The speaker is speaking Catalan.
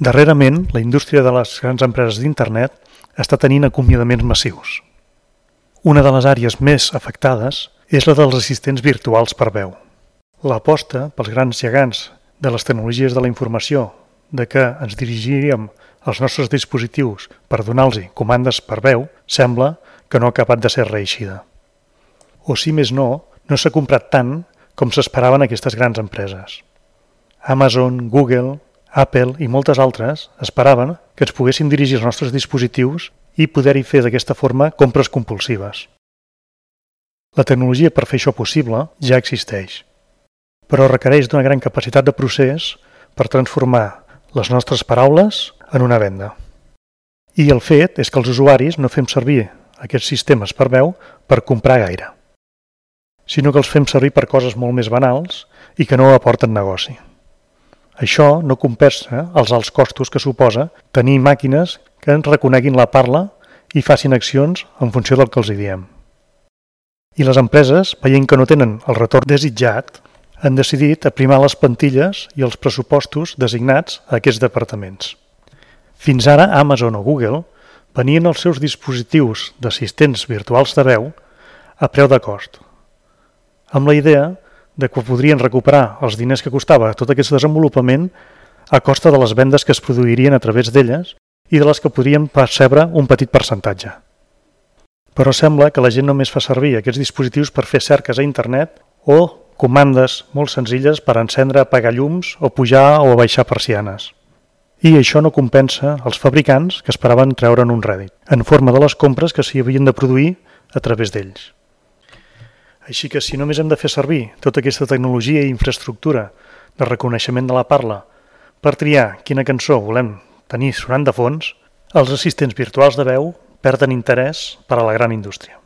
Darrerament, la indústria de les grans empreses d'internet està tenint acomiadaments massius. Una de les àrees més afectades és la dels assistents virtuals per veu. L'aposta pels grans gegants de les tecnologies de la informació de que ens dirigiríem als nostres dispositius per donar-los comandes per veu sembla que no ha acabat de ser reeixida. O si més no s'ha comprat tant com s'esperaven aquestes grans empreses. Amazon, Google, Apple i moltes altres esperaven que ens poguessin dirigir als nostres dispositius i poder-hi fer d'aquesta forma compres compulsives. La tecnologia per fer això possible ja existeix, però requereix d'una gran capacitat de procés per transformar les nostres paraules en una venda. I el fet és que els usuaris no fem servir aquests sistemes per veu per comprar gaire, sinó que els fem servir per coses molt més banals i que no aporten negoci. Això no compensa els alts costos que suposa tenir màquines que ens reconeguin la parla i facin accions en funció del que els diem. I les empreses, veient que no tenen el retorn desitjat, han decidit aprimar les plantilles i els pressupostos designats a aquests departaments. Fins ara, Amazon o Google venien els seus dispositius d'assistents virtuals de veu a preu de cost, amb la idea de que podrien recuperar els diners que costava tot aquest desenvolupament a costa de les vendes que es produirien a través d'elles i de les que podrien percebre un petit percentatge. Però sembla que la gent només fa servir aquests dispositius per fer cerques a internet o comandes molt senzilles per encendre, apagar llums o pujar o baixar persianes. I això no compensa els fabricants que esperaven treure'n un rèdit, en forma de les compres que s'hi havien de produir a través d'ells. Així que si només hem de fer servir tota aquesta tecnologia i infraestructura de reconeixement de la parla per triar quina cançó volem tenir sonant de fons, els assistents virtuals de veu perden interès per a la gran indústria.